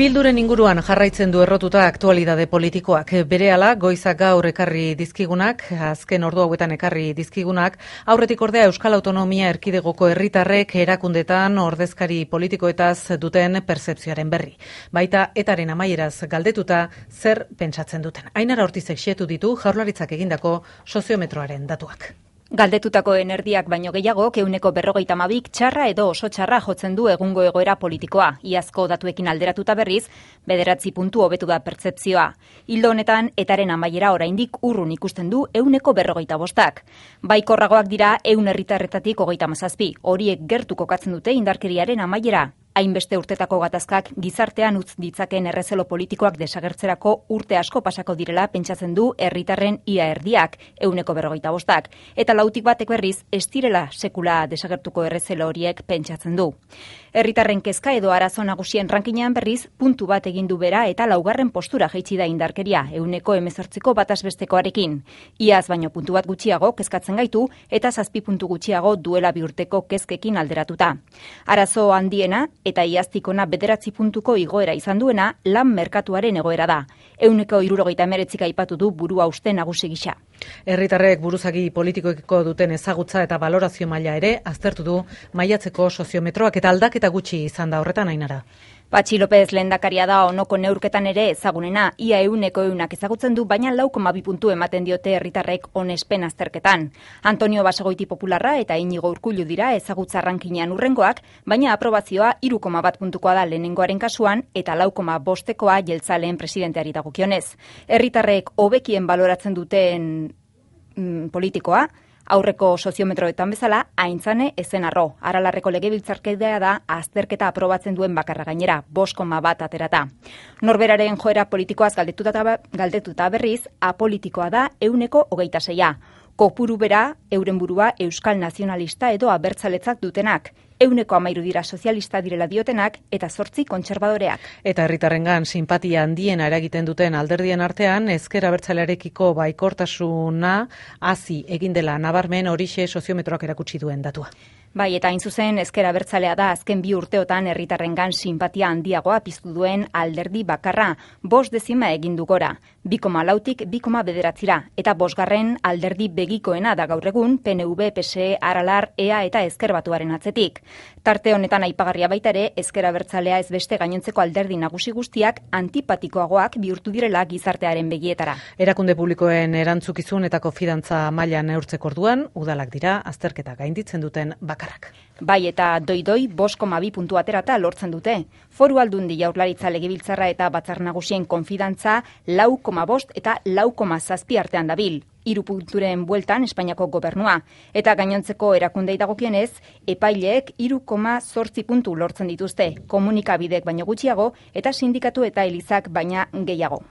Bilduren inguruan jarraitzen du errotuta aktualidade politikoak. Berehala, goizak gaur ekarri dizkigunak, azken ordu hauetan ekarri dizkigunak, aurretik ordea Euskal Autonomia Erkidegoko herritarrek erakundetan ordezkari politikoetaz duten pertzepzioaren berri. Baita etaren amaieraz galdetuta zer pentsatzen duten. Ainara Ortizek xehetu ditu Jaurlaritzak egindako soziometroaren datuak. Galdetutako erdiak baino gehiago, 52 txarra edo oso txarra jotzen du egungo egoera politikoa. Iazko datuekin alderatuta berriz, 9 puntu hobetu da pertzepzioa. Ildo honetan, etaren amaiera oraindik urrun ikusten du 55. Baikorragoak dira 100 herritarretatik 37. Horiek gertu kokatzen dute indarkeriaren amaiera. Hainbeste urtetako gatazkak gizartean utz ditzaken errezelo politikoak desagertzerako urte asko pasako direla pentsatzen du herritarren ia erdiak, 55. Eta lautik batek berriz, ez direla sekula desagertuko errezelo horiek pentsatzen du. Herritarren kezka edo arazo nagusien rankinean berriz, puntu bat egin du bera eta 4. postura jaitsi da indarkeria, 18ko batazbestekoarekin. Iaz baino puntu bat gutxiago kezkatzen gaitu eta 7 puntu gutxiago duela 2 urteko kezkekin alderatuta. Arazo handiena eta iaztik ona 9 puntuko igoera izan duena lan merkatuaren egoera da. 169 aipatu du burua uste nagusi gisa. Herritarrek buruzagi politikoekiko duten ezagutza eta valorazio maila ere aztertu du maiatzeko soziometroak eta aldaketa gutxi izan da horretan, Ainara. Patxi López lehendakaria da onoko neurketan ere ezagunena, ia 100 ezagutzen du, baina 4,2 puntu ematen diote herritarrek onespen azterketan. Antonio Basagoiti Popularra eta Inigo Urkullu dira ezagutza rankinean urrengoak, baina aprobazioa 3,1 puntukoa da lehenengoaren kasuan eta 4,5koa jeltzaleen presidenteari dagokionez. Herritarrek hobekien baloratzen duten politikoa, aurreko soziometroetan bezala, aintzane ezen arro. Aralarreko legebiltzarkidea da azterketa aprobatzen duen bakarra gainera, 5,1 aterata. Norberaren joera politikoaz galdetuta berriz, apolitikoa da 126. Kopuru bera, euren burua euskal nazionalista edo abertzaletzak dutenak. 113 dira sozialista direla diotenak eta 8 kontserbadoreak. Eta herritarrengan sinpatia handiena eragiten duten alderdien artean, ezker abertzalearekiko baikortasuna hazi egin dela nabarmen horixe soziometroak erakutsi duen datua. Bai, eta hain zuzen ezker abertzalea da azken 2 urteotan herritarrengan sinpatia handiagoa piztu duen alderdi bakarra, 5 dezima egin du gora, 2,4tik 2,9 eta 5. alderdi begikoena da gaur egun PNV, PSE, Aralar, EA eta Ezker Batuaren atzetik. Tarte honetan aipagarria baita ere, ezker abertzalea ez beste gainontzeko alderdi nagusi guztiak antipatikoagoak bihurtu direla gizartearen begietara. Erakunde publikoen erantzukizun eta konfidantza maila neurtzeko orduan, udalak dira azterketa gainditzen duten bakarrak. Bai, eta doi-doi 5,2 puntu aterata lortzen dute. Foru Aldundi, Jaurlaritza, Legebiltzarra eta Batzar Nagusien konfidantza 4,5 eta 4,7 artean dabil. 3 punturen bueltan Espainiako gobernua. Eta gainontzeko erakundei dagokienez, epaileek 3,8 puntu lortzen dituzte, komunikabidek baino gutxiago eta sindikatu eta elizak baina gehiago.